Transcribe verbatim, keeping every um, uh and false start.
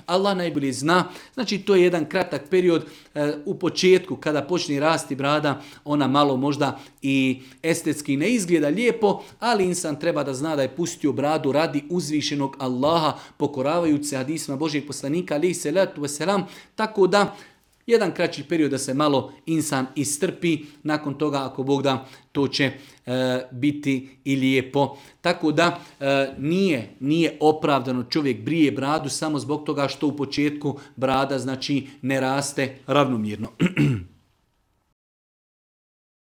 Allah najbolje zna. Znači to je jedan kratak period e, u početku kada počne rasti brada, ona malo možda i estetski ne izgleda lijepo, ali insan treba da zna da je pustio bradu radi uzvišenog Allaha, pokoravajući se hadisima Božijeg poslanika, alejhi selatu vesselam, tako da jedan kraći period da se malo insan istrpi, nakon toga ako Bog da to će e, biti i lijepo. Tako da e, nije, nije opravdano čovjek brije bradu samo zbog toga što u početku brada znači ne raste ravnomjerno.